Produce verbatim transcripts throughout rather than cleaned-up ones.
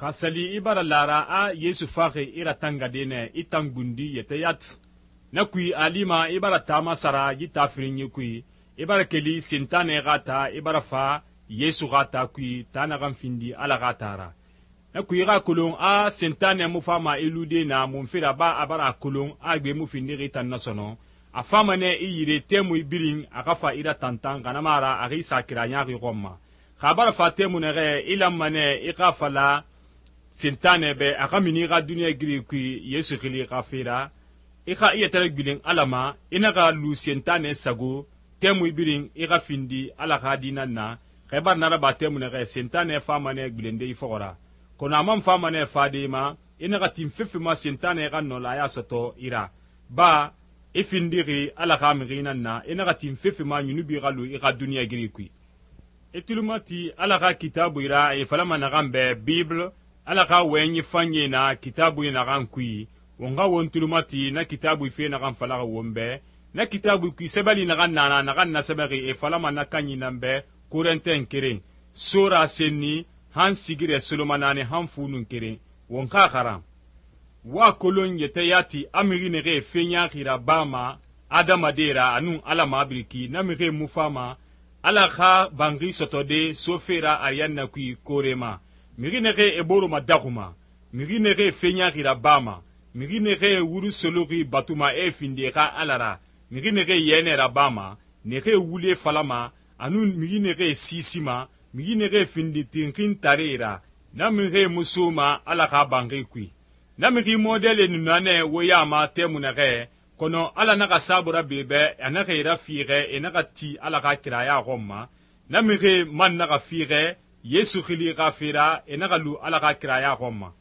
xa sali i bara lara a yesu faxi i ratangade nɛ i tan gundi yɛtɛ yati. Na kui a lima i bara taama sara yi ta firinyi kui, i bara keli Sentanɛ xa ta i bara fa Yesu xa ta kui ta naxan findi Ala xa ta ra. Na kui i xa kolon a Sentanɛ mu fama i lude na munfe ra ba a bara a kolon a gbe mu findixi tan na sɔnɔ, a fama nɛ i yire tɛmui birin a xa fa i ra tantan xa na mu a ra a xi sa kira ɲaxi xɔn ma. Xa a bara fa tɛmu nɛxɛ i lanma nɛ i xa fala Sentanɛ bɛ a xa mini i xa duniɲa giri kui Yesu xili xa fe ra, i xa i yɛtɛ gbilen Ala ma, i naxa lu Sentanɛ sago tɛmui birin i xa findi Ala xa di nan na. Xa i bara na raba tɛmu nɛxɛ Sentanɛ fama nɛ gbilende i fɔxɔ ra, kɔnɔ a man fama nɛ fade i ma, i naxa tin fefe ma Sentanɛ xa nɔlaya sɔtɔ i ra. Ba i findixi Ala xa mixi nan na, i naxa tin fefe ma ɲunubi xa lu i xa duniɲa giri kui. I tulumati Ala xa kitaabui ra e falama naxan bɛ Bible, Ala xa wɔyɛnyi fanyie na kitaabui naxan kui, won xa won tulumati na kitaabui fe naxan falaxi won bɛ. Na kitaabui kui sɛbɛli naxan nana naxan nasɛbɛxi e falama na kanyi nan bɛ Korɛntɛn keren, sora senni han sigirɛ solomanani han funun keren. Won xa xaran wa kolon yɛtɛ yati a mixi nexe fe ɲaxi ra bama adamade ra anun Ala mabiriki na mixe mu fama Ala xa banxi sɔtɔde sofe ra ariyanna kui kore ma. Mixi nexe e boroma daxuma, mixi nexe fe ɲaxi ra bama, mixi nexe wuru soloxi batuma e finde xa Ala ra, mixi nexe yɛnɛ ra bama, nexe wule falama, anun mixi nexe sisima, mixi nexe findi tinxin tare ra, na mixe musoma Ala xa banxi kui. Na mixi modele nunanɛ wo yama tɛmu nɛxɛ, kɔnɔ Ala naxa saabura bebɛ a naxa i rafiixɛ e naxa ti Ala xa kiraya xɔn ma. Na mixe man naxa fiixɛ Yesu xili xa fera e naxa lu Ala xa kiraya xɔn ma.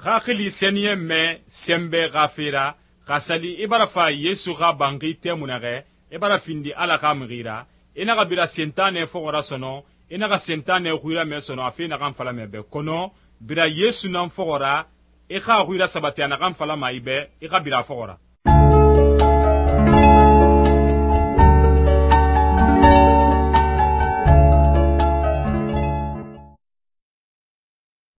Xa xili sɛniyɛn mɛ sɛnbɛ xa fera, xa sali i bara fa Yesu xa banxi tɛmu nɛxɛ, i bara findi Ala xa mixi ra, i naxa bira Sentanɛ fɔxɔ ra sɔnɔ, i naxa Sentanɛ xuiramɛ sɔnɔ a fe naxan falamɛ bɛ, kɔnɔ bira Yesu nan fɔxɔ ra, i xa xuira sabati a naxan falama i bɛ, i xa bira fɔxɔ ra.